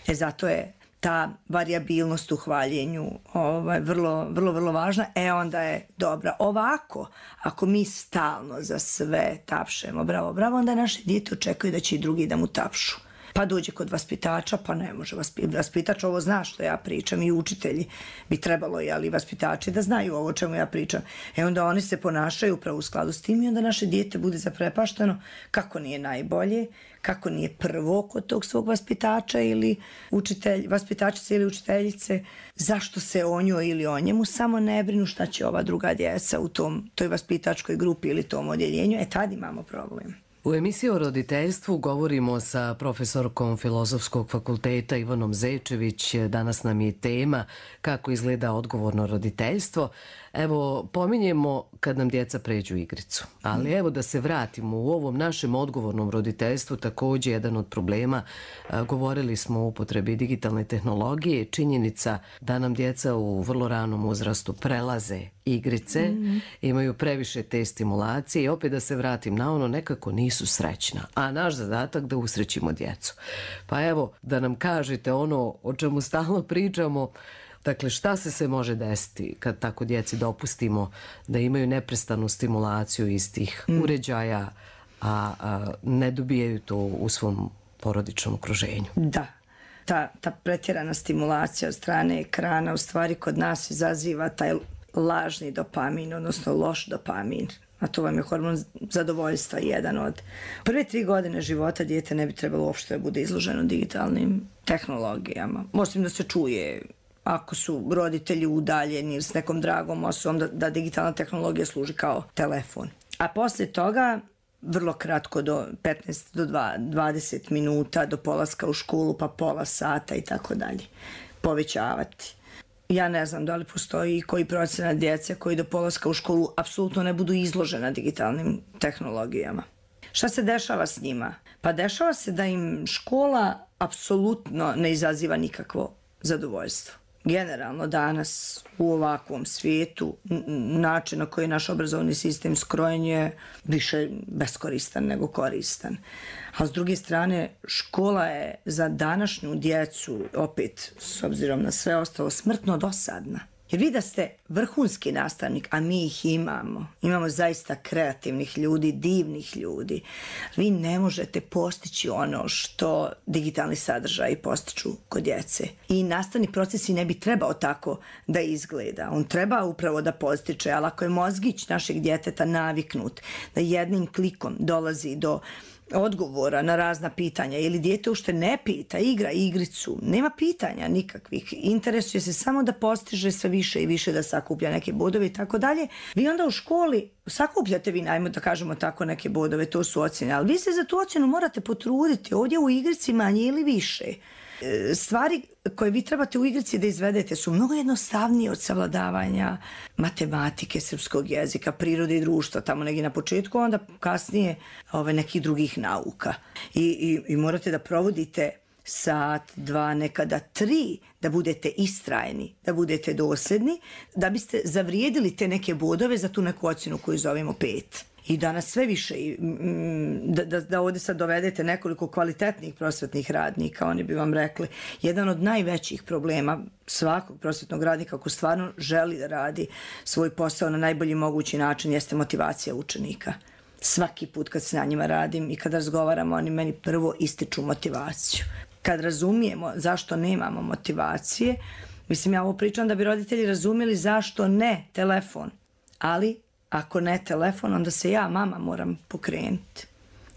E zato je ta varijabilnost u hvaljenju ovaj, vrlo, vrlo, vrlo važna, e onda je dobra. Ovako, ako mi stalno za sve tapšemo, bravo, bravo, onda naše dijete očekuje da će i drugi da mu tapšu. Pa dođe kod vaspitača, pa ne može vaspitač, ovo zna što ja pričam i učitelji bi trebalo, ali vaspitači da znaju ovo o čemu ja pričam. E onda oni se ponašaju upravo u skladu s tim i onda naše dijete bude zaprepašteno kako nije najbolje, kako nije prvo kod tog svog vaspitača ili učitelj, vaspitačice ili učiteljice, zašto se o njoj ili o njemu samo ne brinu šta će ova druga djeca u tom, toj vaspitačkoj grupi ili tom odjeljenju, e tad imamo problem. U emisiji o roditeljstvu govorimo sa profesorkom Filozofskog fakulteta Ivanom Zečević. Danas nam je tema kako izgleda odgovorno roditeljstvo. Evo, pominjemo kad nam djeca pređu igricu. Ali evo da se vratimo u ovom našem odgovornom roditeljstvu, također jedan od problema. Govorili smo o upotrebi digitalne tehnologije. Činjenica da nam djeca u vrlo ranom uzrastu prelaze igrice, mm-hmm. imaju previše te stimulacije i opet da se vratim na ono, nekako nisu srećna. A naš zadatak da usrećimo djecu. Pa evo, da nam kažete ono o čemu stalno pričamo. Dakle, šta se sve može desiti kad tako djeci dopustimo da imaju neprestanu stimulaciju iz tih mm. uređaja, a, a ne dobijaju to u svom porodičnom okruženju? Da, ta, ta pretjerana stimulacija od strane ekrana u stvari kod nas izaziva taj lažni dopamin, odnosno loš dopamin. A to vam je hormon zadovoljstva, jedan od. Prve tri godine života dijete ne bi trebalo uopšte da bude izloženo digitalnim tehnologijama. Možda da se čuje ako su roditelji udaljeni ili s nekom dragom osobom, da, da digitalna tehnologija služi kao telefon. A poslije toga, vrlo kratko, do petnaest do dvadeset minuta, do polaska u školu, pa pola sata i tako dalje. Povećavati. Ja ne znam da li postoji koji procenat djece koji do polaska u školu apsolutno ne budu izložena digitalnim tehnologijama. Šta se dešava s njima? Pa dešava se da im škola apsolutno ne izaziva nikakvo zadovoljstvo. Generalno danas u ovakvom svijetu način na koji je naš obrazovni sistem skrojen je više beskoristan nego koristan. A s druge strane, škola je za današnju djecu, opet s obzirom na sve ostalo, smrtno dosadna. Jer vi da ste vrhunski nastavnik, a mi ih imamo, imamo zaista kreativnih ljudi, divnih ljudi, vi ne možete postići ono što digitalni sadržaji postiču kod djece. I nastavni proces i ne bi trebao tako da izgleda. On treba upravo da postiče, ali ako je mozgić našeg djeteta naviknut da jednim klikom dolazi do odgovora na razna pitanja ili dijete ušte ne pita, igra igricu, nema pitanja nikakvih, interesuje se samo da postiže sve više i više, da sakuplja neke bodove i tako dalje. Vi onda u školi sakupljate vi, najmo da kažemo tako, neke bodove, to su ocjene, ali vi se za tu ocjenu morate potruditi ovdje u igrici manje ili više. Stvari koje vi trebate u igrici da izvedete su mnogo jednostavnije od savladavanja matematike, srpskog jezika, prirode i društva, tamo negdje na početku, onda kasnije ove, nekih drugih nauka. I, i, i morate da provodite sat, dva, nekada tri, da budete istrajni, da budete dosljedni, da biste zavrijedili te neke bodove za tu neku ocjenu koju zovemo pet. I danas sve više, da, da, da ovdje sad dovedete nekoliko kvalitetnih prosvetnih radnika, oni bi vam rekli, jedan od najvećih problema svakog prosvetnog radnika ako stvarno želi da radi svoj posao na najbolji mogući način jeste motivacija učenika. Svaki put kad se na njima radim i kad razgovaramo, oni meni prvo ističu motivaciju. Kad razumijemo zašto nemamo motivacije, mislim ja ovo pričam da bi roditelji razumjeli zašto ne telefon, ali ako ne telefon, onda se ja, mama, moram pokrenuti.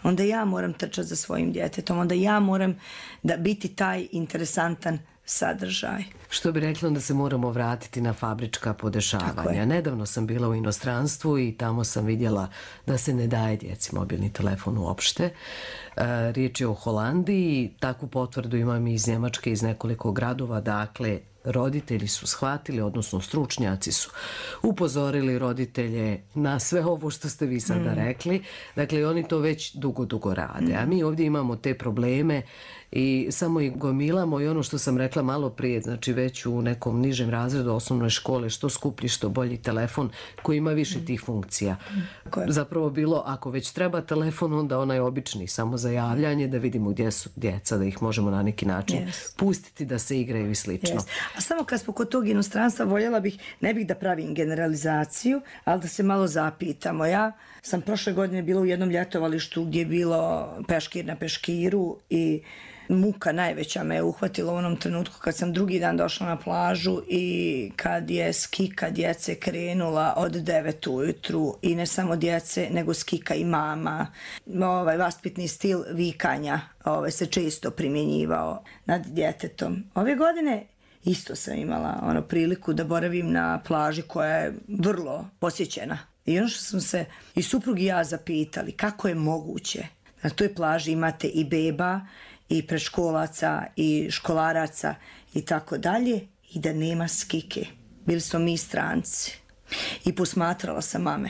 Onda ja moram trčati za svojim djetetom, onda ja moram da biti taj interesantan sadržaj. Što bi rekla da se moramo vratiti na fabrička podešavanja. Nedavno sam bila u inostranstvu i tamo sam vidjela da se ne daje djeci mobilni telefon uopšte. E, riječ je o Holandiji, takvu potvrdu imam iz Njemačke, iz nekoliko gradova, dakle roditelji su shvatili, odnosno stručnjaci su upozorili roditelje na sve ovo što ste vi sada mm. rekli. Dakle, oni to već dugo, dugo rade. Mm. A mi ovdje imamo te probleme i samo ih gomilamo i ono što sam rekla malo prije, znači već u nekom nižem razredu osnovnoj škole, što skuplji, što bolji telefon koji ima više tih funkcija. Mm. Zapravo bilo, ako već treba telefon, onda onaj obični, samo za javljanje, da vidimo gdje su djeca, da ih možemo na neki način yes. pustiti da se igraju i slično. Yes. A samo kad smo kod tog inostranstva, voljela bih, ne bih da pravim generalizaciju, ali da se malo zapitamo. Ja sam prošle godine bila u jednom ljetovalištu gdje je bilo peškir na peškiru i muka najveća me je uhvatila u onom trenutku kad sam drugi dan došla na plažu i kad je skika djece krenula od devet ujutru i ne samo djece, nego skika i mama. Ovaj vaspitni stil vikanja ovaj, se često primjenjivao nad djetetom. Ove godine isto sam imala ono priliku da boravim na plaži koja je vrlo posjećena. I ono što sam se i suprug i ja zapitali, kako je moguće na toj plaži imate i beba, i predškolaca, i školaraca, i tako dalje, i da nema skike. Bili smo mi stranci. I posmatrala sam mame.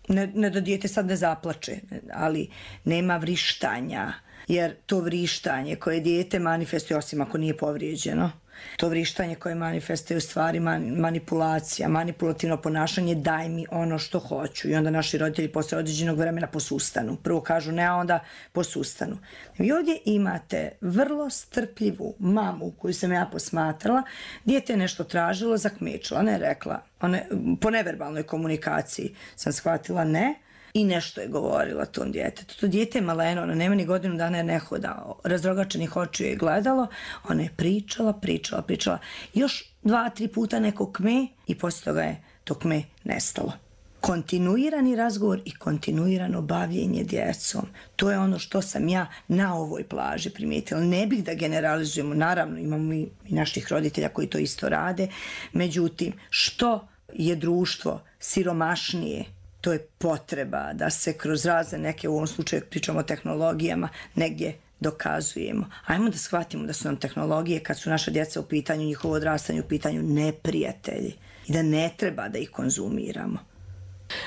Ne, ne da dijete sad ne zaplače, ali nema vrištanja, jer to vrištanje koje dijete manifestuje, osim ako nije povrijeđeno, to vrištanje koje manifestuje u stvari manipulacija, manipulativno ponašanje, daj mi ono što hoću. I onda naši roditelji posle određenog vremena posustanu. Prvo kažu ne, a onda posustanu. Vi ovdje imate vrlo strpljivu mamu koju sam ja posmatrala. Dijete je nešto tražilo, zakmečila, ne rekla. One, po neverbalnoj komunikaciji sam shvatila ne. I nešto je govorila tom djetetu. To dijete je maleno, ona nema ni godinu dana jer ne hoda. Razrogačenih očiju je gledalo. Ona je pričala, pričala, pričala. Još dva, tri puta neko kme i poslije toga je to kme nestalo. Kontinuirani razgovor i kontinuirano bavljenje djecom. To je ono što sam ja na ovoj plaži primijetila. Ne bih da generalizujemo. Naravno, imamo i naših roditelja koji to isto rade. Međutim, što je društvo siromašnije, to je potreba da se kroz razne neke, u ovom slučaju pričamo o tehnologijama, negdje dokazujemo. Ajmo da shvatimo da su nam tehnologije, kad su naša djeca u pitanju, njihovo odrastanje u pitanju, neprijatelji i da ne treba da ih konzumiramo.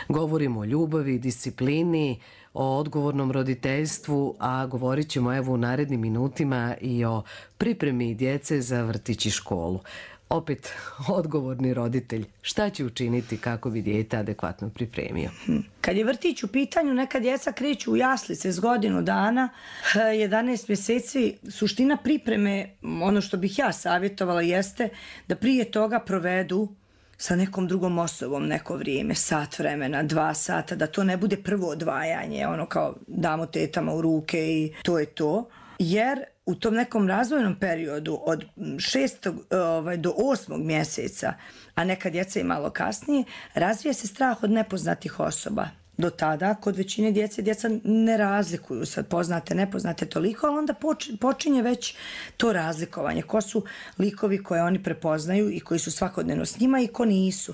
Govorimo o ljubavi, disciplini, o odgovornom roditeljstvu, a govorit ćemo evo u narednim minutima i o pripremi djece za vrtić i školu. Opet, odgovorni roditelj, šta će učiniti kako bi dijete adekvatno pripremio? Kad je vrtić u pitanju, neka djeca kreću u jaslice s godinu dana, jedanaest mjeseci. Suština pripreme, ono što bih ja savjetovala, jeste da prije toga provedu sa nekom drugom osobom neko vrijeme, sat vremena, dva sata, da to ne bude prvo odvajanje, ono kao damo tetama u ruke i to je to. Jer u tom nekom razvojnom periodu od šestog ovaj, do osmog mjeseca, a neka djeca i malo kasnije, razvija se strah od nepoznatih osoba. Do tada, kod većine djece, djeca ne razlikuju sad poznate, nepoznate toliko, ali onda počinje već to razlikovanje. Ko su likovi koje oni prepoznaju i koji su svakodnevno s njima i ko nisu.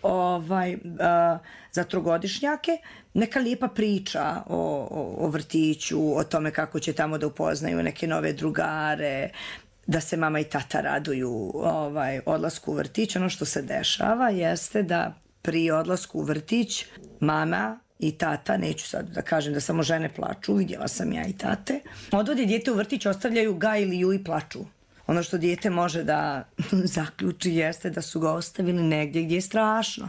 Ovaj, a, za trogodišnjake neka lijepa priča o, o, o vrtiću, o tome kako će tamo da upoznaju neke nove drugare, da se mama i tata raduju ovaj, odlasku u vrtić. Ono što se dešava jeste da pri odlasku u vrtić mama i tata, neću sad da kažem da samo žene plaču, vidjela sam ja i tate, odvode dijete u vrtić, ostavljaju ga ili ju i plaču. Ono što dijete može da zaključi jeste da su ga ostavili negdje gdje je strašno,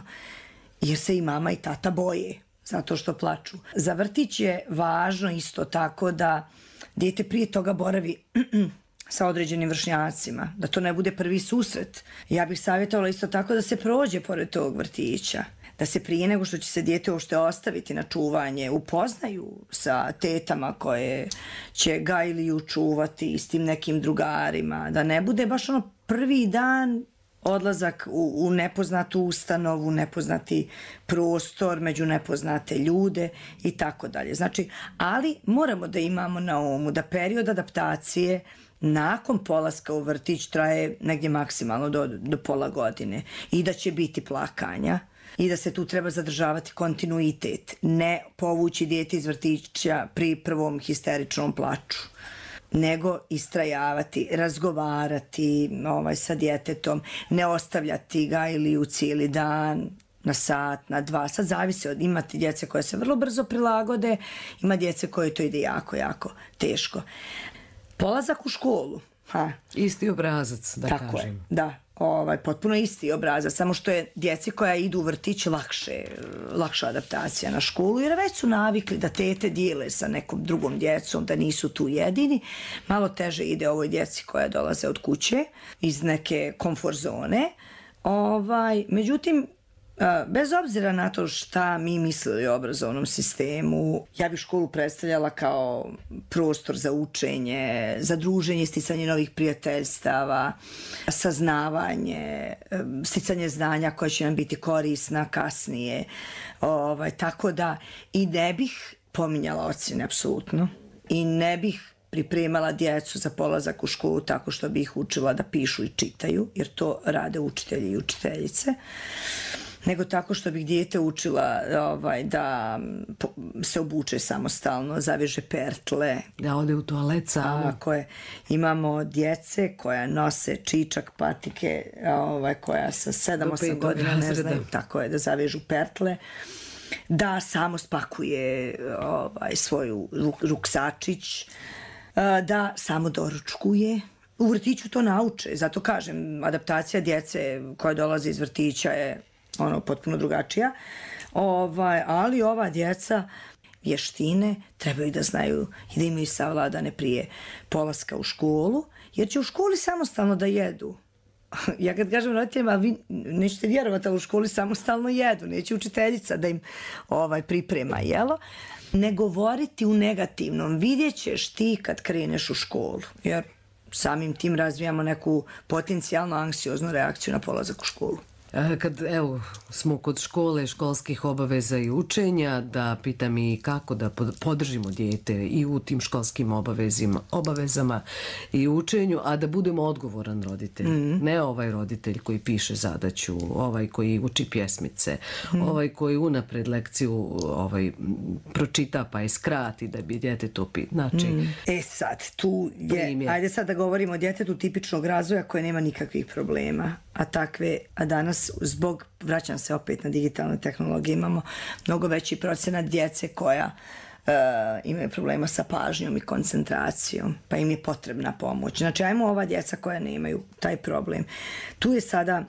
jer se i mama i tata boje zato što plaču. Za vrtić je važno isto tako da dijete prije toga boravi sa određenim vršnjacima, da to ne bude prvi susret. Ja bih savjetovala isto tako da se prođe pored tog vrtića, da se prije nego što će se dijete uopšte ostaviti na čuvanje upoznaju sa tetama koje će ga ili ju čuvati i s tim nekim drugarima, da ne bude baš ono prvi dan odlazak u, u nepoznatu ustanovu, nepoznati prostor, među nepoznate ljude i tako dalje. Znači, ali moramo da imamo na umu da period adaptacije nakon polaska u vrtić traje negdje maksimalno do, do pola godine i da će biti plakanja i da se tu treba zadržavati kontinuitet, ne povući dijete iz vrtića pri prvom histeričnom plaču, nego istrajavati, razgovarati ovaj, sa djetetom, ne ostavljati ga ili u cijeli dan, na sat, na dva, sad zavisi od, imate djece koje se vrlo brzo prilagode, ima djece koje to ide jako, jako teško. Polazak u školu. Ha. Isti obrazac, da Tako kažem. Je, da. ovaj, potpuno isti obrazac, samo što je djeci koja idu u vrtić lakše, lakša adaptacija na školu, jer već su navikli da tete dijele sa nekom drugom djecom, da nisu tu jedini. Malo teže ide ovoj djeci koja dolaze od kuće, iz neke komfort zone. Ovaj, međutim, bez obzira na to šta mi mislili o obrazovnom sistemu, ja bih školu predstavljala kao prostor za učenje, za druženje, sticanje novih prijateljstava, saznavanje, sticanje znanja koja će nam biti korisna kasnije. Ovaj, tako da i ne bih pominjala ocjene, apsolutno. I ne bih pripremala djecu za polazak u školu tako što bih ih učila da pišu i čitaju, jer to rade učitelji i učiteljice, nego tako što bih dijete učila ovaj, da se obuče samostalno, zaveže pertle. Da ode u toalet samo. Koje imamo djece koja nose čičak, patike, ovaj, koja sa sedam osam godina ne znaju, tako je, da zavežu pertle, da samo spakuje ovaj, svoju ruksačić, da samo doručkuje. U vrtiću to nauče, zato kažem, adaptacija djece koja dolaze iz vrtića je ono potpuno drugačija, ovaj, ali ova djeca vještine trebaju da znaju i da imaju savladane prije polaska u školu, jer će u školi samostalno da jedu. Ja kad kažem roditeljima, vi nećete vjerovati, ali u školi samostalno jedu, neće učiteljica da im ovaj, priprema jelo. Ne govoriti u negativnom, vidjet ćeš ti kad kreneš u školu, jer samim tim razvijamo neku potencijalno anksioznu reakciju na polazak u školu. Kad evo, smo kod škole, školskih obaveza i učenja, da pitam i kako da podržimo dijete i u tim školskim obavezima, obavezama i učenju, a da budemo odgovoran roditelj. Mm. Ne ovaj roditelj koji piše zadaću, ovaj koji uči pjesmice, mm. ovaj koji unapred lekciju ovaj, pročita pa je skrati da bi dijete to pit. Znači, mm. E sad, tu je, primjer. Ajde sad da govorimo o djetetu tipičnog razvoja koje nema nikakvih problema, a takve, a danas zbog, vraćam se opet na digitalne tehnologije, imamo mnogo veći procenat djece koja uh, imaju problema sa pažnjom i koncentracijom, pa im je potrebna pomoć. Znači, ajmo ova djeca koja nemaju taj problem. Tu je sada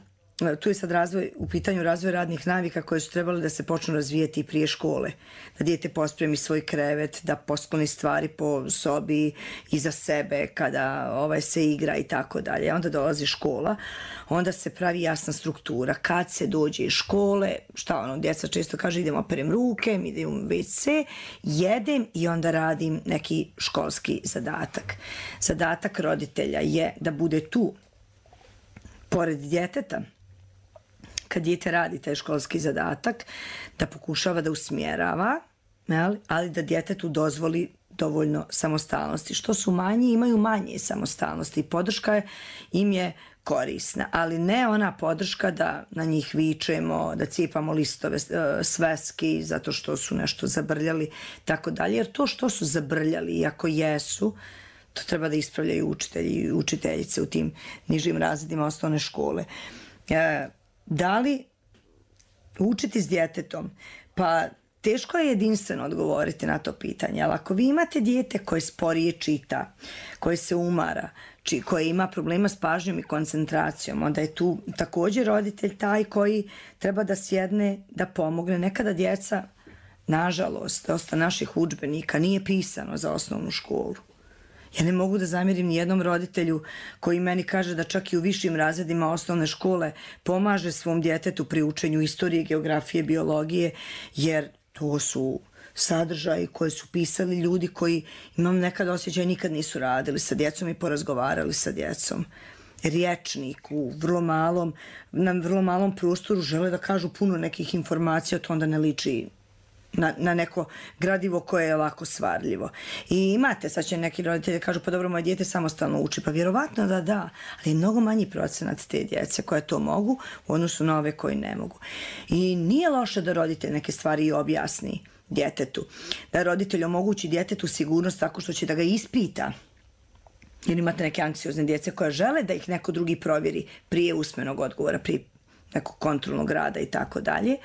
Tu je sad razvoj, u pitanju razvoj radnih navika koje su trebali da se počnu razvijeti prije škole. Da dijete pospremi svoj krevet, da poskloni stvari po sobi iza sebe kada ovaj, se igra i tako dalje. Onda dolazi škola, onda se pravi jasna struktura. Kad se dođe iz škole, šta ono, djeca često kaže idem operem ruke, idem u ve ce, jedem i onda radim neki školski zadatak. Zadatak roditelja je da bude tu pored djeteta, kad dijete radi taj školski zadatak, da pokušava da usmjerava, ali da djetetu dozvoli dovoljno samostalnosti. Što su manji, imaju manje samostalnosti. Podrška im je korisna, ali ne ona podrška da na njih vičemo, da cijepamo listove sveski zato što su nešto zabrljali, tako dalje. Jer to što su zabrljali, iako jesu, to treba da ispravljaju učitelji i učiteljice u tim nižim razredima osnovne škole. Da li učiti s djetetom? Pa teško je jedinstveno odgovoriti na to pitanje, ali ako vi imate dijete koje sporije čita, koje se umara, či, koje ima problema s pažnjom i koncentracijom, onda je tu također roditelj taj koji treba da sjedne, da pomogne. Nekada djeca, nažalost, dosta naših udžbenika nije pisano za osnovnu školu. Ja ne mogu da zamjerim ni jednom roditelju koji meni kaže da čak i u višim razredima osnovne škole pomaže svom djetetu pri učenju istorije, geografije, biologije, jer to su sadržaji koje su pisali ljudi koji, imam nekad osjećaj, nikad nisu radili sa djecom i porazgovarali sa djecom. Rječnik u vrlo malom, na vrlo malom prostoru žele da kažu puno nekih informacija, to onda ne liči Na, na neko gradivo koje je lako svarljivo. I imate, sad će neki roditelji kažu, pa dobro, moje dijete samostalno uči, pa vjerovatno da da, ali je mnogo manji procenat te djece koje to mogu u odnosu na ove koji ne mogu. I nije loše da roditelj neke stvari i objasni djetetu, da roditelj omogući djetetu sigurnost tako što će da ga ispita, jer imate neke anksiozne djece koje žele da ih neko drugi provjeri prije usmenog odgovora, prije nekog kontrolnog rada i tako dalje.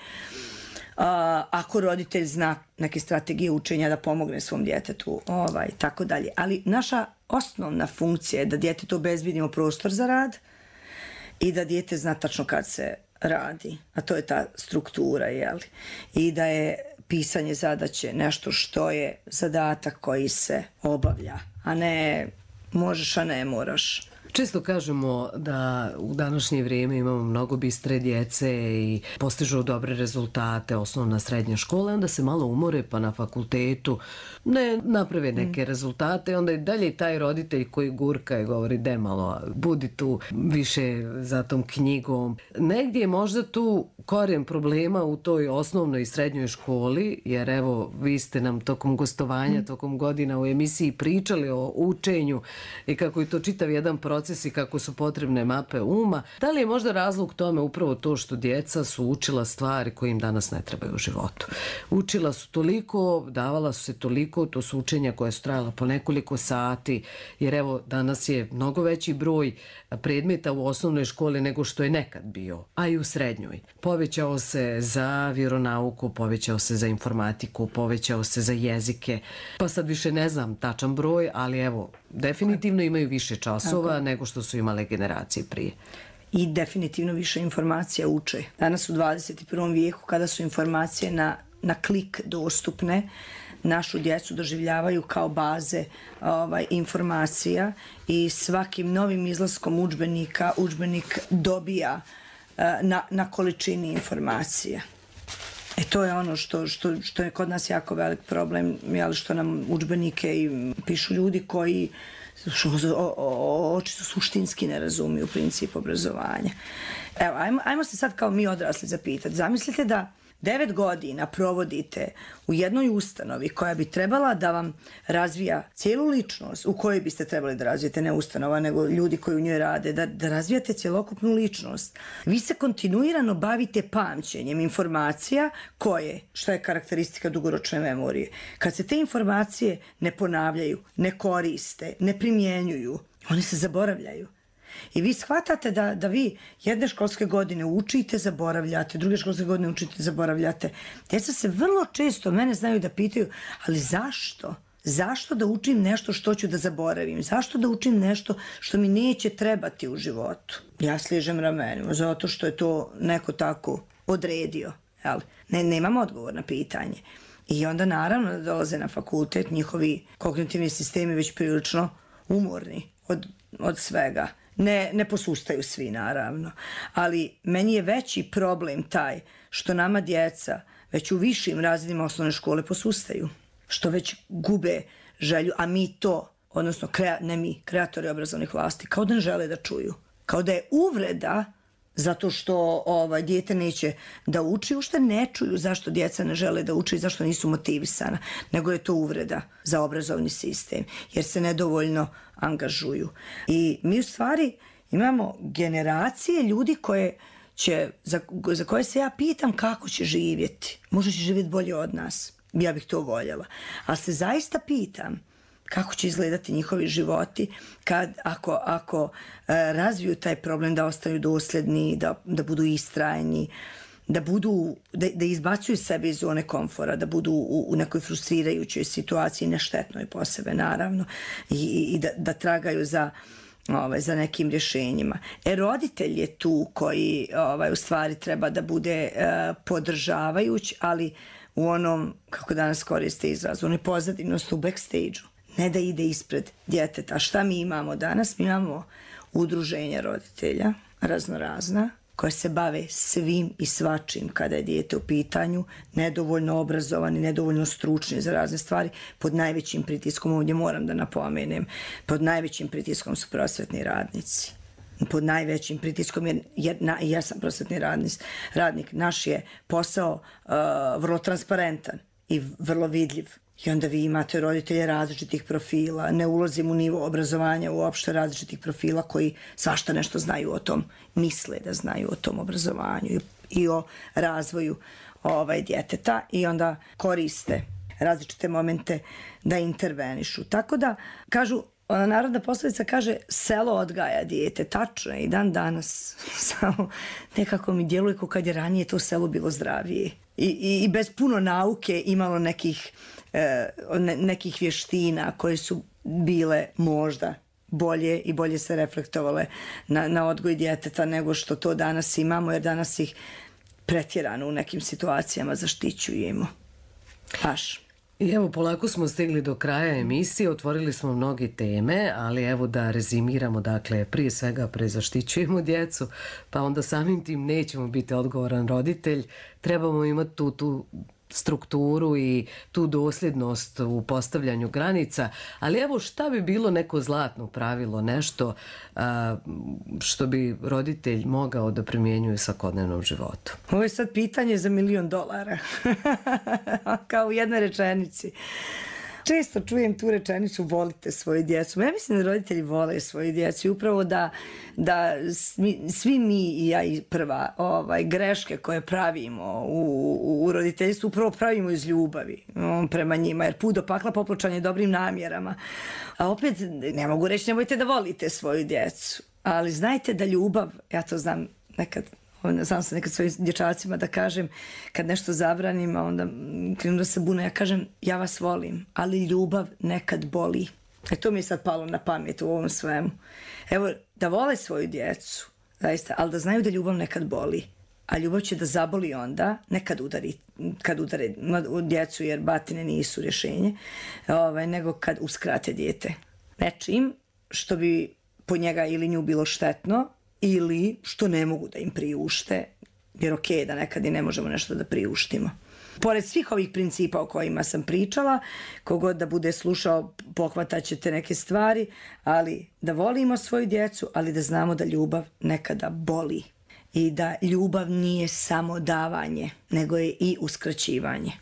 Uh, ako roditelj zna neke strategije učenja da pomogne svom djetetu, ovaj, tako dalje. Ali naša osnovna funkcija je da djetetu obezbedimo prostor za rad i da dijete zna tačno kad se radi, a to je ta struktura, jeli? I da je pisanje zadaće nešto što je zadatak koji se obavlja, a ne možeš, a ne moraš. Često kažemo da u današnje vrijeme imamo mnogo bistre djece i postižu dobre rezultate, osnovna srednja škola, onda se malo umore pa na fakultetu ne naprave neke mm. rezultate, onda i dalje taj roditelj koji gurka i govori de malo, budi tu više za tom knjigom. Negdje je možda tu korijen problema u toj osnovnoj i srednjoj školi, jer evo vi ste nam tokom gostovanja, mm. tokom godina u emisiji pričali o učenju i kako je to čitav jedan proces i kako su potrebne mape uma. Da li je možda razlog tome upravo to što djeca su učila stvari koje im danas ne trebaju u životu? Učila su toliko, davala su se toliko, to su učenja koja su trajala po nekoliko sati, jer evo danas je mnogo veći broj predmeta u osnovnoj školi nego što je nekad bio, a i u srednjoj. Povećao se za vjeronauku, povećao se za informatiku, povećao se za jezike, pa sad više ne znam tačan broj, ali evo, definitivno imaju više časova Tako. nego što su imale generacije prije. I definitivno više informacija uče. Danas u dvadeset i prvom vijeku, kada su informacije na, na klik dostupne, našu djecu doživljavaju kao baze ovaj, informacija i svakim novim izlaskom udžbenika udžbenik dobija uh, na, na količini informacija. E to je ono što, što, što je kod nas jako velik problem, jel, što nam udžbenike i pišu ljudi koji očisto suštinski ne razumiju princip obrazovanja. Evo, ajmo, ajmo se sad kao mi odrasli zapitati. Zamislite da devet godina provodite u jednoj ustanovi koja bi trebala da vam razvija cijelu ličnost, u kojoj biste trebali da razvijete, ne ustanova, nego ljudi koji u njoj rade, da, da razvijate cjelokupnu ličnost. Vi se kontinuirano bavite pamćenjem informacija koje, što je karakteristika dugoročne memorije. Kad se te informacije ne ponavljaju, ne koriste, ne primjenjuju, one se zaboravljaju. I vi shvatate da, da vi jedne školske godine učite, zaboravljate, druge školske godine učite, zaboravljate. Djeca se vrlo često mene znaju da pitaju, ali zašto? Zašto da učim nešto što ću da zaboravim? Zašto da učim nešto što mi neće trebati u životu? Ja sližem ramenima, zato što je to neko tako odredio. Jel? Ne, nemam odgovor na pitanje. I onda naravno da dolaze na fakultet, njihovi kognitivni sistemi već prilično umorni od, od svega. Ne, ne posustaju svi, naravno. Ali meni je veći problem taj što nama djeca već u višim razredima osnovne škole posustaju. Što već gube želju, a mi to, odnosno krea, ne mi, kreatori obrazovnih vlasti, kao da ne žele da čuju. Kao da je uvreda zato što ovaj, dijete neće da uči, ušte ne čuju zašto djeca ne žele da uče i zašto nisu motivisana, nego je to uvreda za obrazovni sistem, jer se nedovoljno angažuju. I mi u stvari imamo generacije ljudi koje će, za, za koje se ja pitam kako će živjeti. Možda će živjeti bolje od nas. Ja bih to voljela. Ali se zaista pitam kako će izgledati njihovi životi kad, ako, ako e, razviju taj problem da ostaju dosljedni, da, da budu istrajni, da, budu, da, da izbacuju sebe iz zone komfora, da budu u, u nekoj frustrirajućoj situaciji, neštetnoj po sebe, naravno, i, i da, da tragaju za, ovaj, za nekim rješenjima. E, roditelj je tu koji ovaj, u stvari treba da bude e, podržavajuć, ali u onom, kako danas koriste izraz, u onoj pozadinosti, u backstage-u. Ne da ide ispred djeteta. Šta mi imamo danas? Mi imamo udruženja roditelja, raznorazna, koje se bave svim i svačim kada je dijete u pitanju, nedovoljno obrazovani, nedovoljno stručni za razne stvari, pod najvećim pritiskom, ovdje moram da napomenem, pod najvećim pritiskom su prosvetni radnici. Pod najvećim pritiskom, jer, jer na, ja sam prosvetni radnic, radnik, naš je posao uh, vrlo transparentan i vrlo vidljiv. I onda vi imate roditelje različitih profila, ne ulazim u nivo obrazovanja uopšte različitih profila koji svašta nešto znaju o tom, misle da znaju o tom obrazovanju i, i o razvoju ovaj, djeteta i onda koriste različite momente da intervenišu. Tako da, kažu, ona narodna poslovica kaže selo odgaja dijete, tačno je i dan danas, samo nekako mi djeluje kao kad je ranije to selo bilo zdravije i, i, i bez puno nauke imalo nekih, eh, ne, nekih vještina koje su bile možda bolje i bolje se reflektovale na, na odgoj djeteta nego što to danas imamo, jer danas ih pretjerano u nekim situacijama zaštićujemo. Baš. I evo, polako smo stigli do kraja emisije, otvorili smo mnoge teme, ali evo da rezimiramo, dakle, prije svega prezaštićujemo djecu, pa onda samim tim nećemo biti odgovoran roditelj, trebamo imati tu, tu strukturu i tu dosljednost u postavljanju granica, ali evo šta bi bilo neko zlatno pravilo, nešto a, što bi roditelj mogao da primjenjuje u svakodnevnom životu? Ovo je sad pitanje za milion dolara, kao u jednoj rečenici. Često čujem tu rečenicu volite svoju djecu. Ja mislim da roditelji vole svoju djecu i upravo da, da svi, svi mi i ja i prva ovaj, greške koje pravimo u, u roditeljstvu upravo pravimo iz ljubavi um, prema njima, jer put do pakla popločan je dobrim namjerama. A opet ne mogu reći nemojte da volite svoju djecu, ali znajte da ljubav, ja to znam nekad, znam se nekad svojim dječacima da kažem kad nešto zabranim, a onda krenu da se bune, ja kažem ja vas volim, ali ljubav nekad boli. E to mi je sad palo na pamet u ovom svemu. Evo, da vole svoju djecu, zaista, ali da znaju da ljubav nekad boli. A ljubav će da zaboli onda, nekad udari, kad udare djecu, jer batine nisu rješenje, ovaj, nego kad uskrate dijete nečim što bi po njega ili nju bilo štetno, ili što ne mogu da im priušte, jer ok da nekad i ne možemo nešto da priuštimo. Pored svih ovih principa o kojima sam pričala, kogod da bude slušao pohvatat ćete neke stvari, ali da volimo svoju djecu, ali da znamo da ljubav nekada boli i da ljubav nije samo davanje, nego je i uskraćivanje.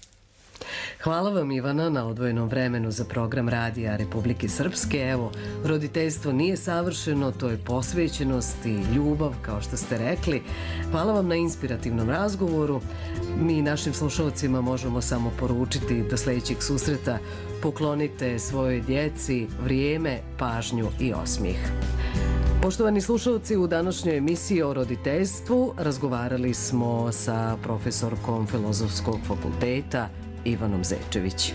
Hvala vam, Ivana, na odvojenom vremenu za program Radija Republike Srpske. Evo, roditeljstvo nije savršeno, to je posvećenost i ljubav, kao što ste rekli. Hvala vam na inspirativnom razgovoru. Mi našim slušalcima možemo samo poručiti do sljedećeg susreta poklonite svojoj djeci vrijeme, pažnju i osmijeh. Poštovani slušalci, u današnjoj emisiji o roditeljstvu razgovarali smo sa profesorkom Filozofskog fakulteta Ivanom Zečević.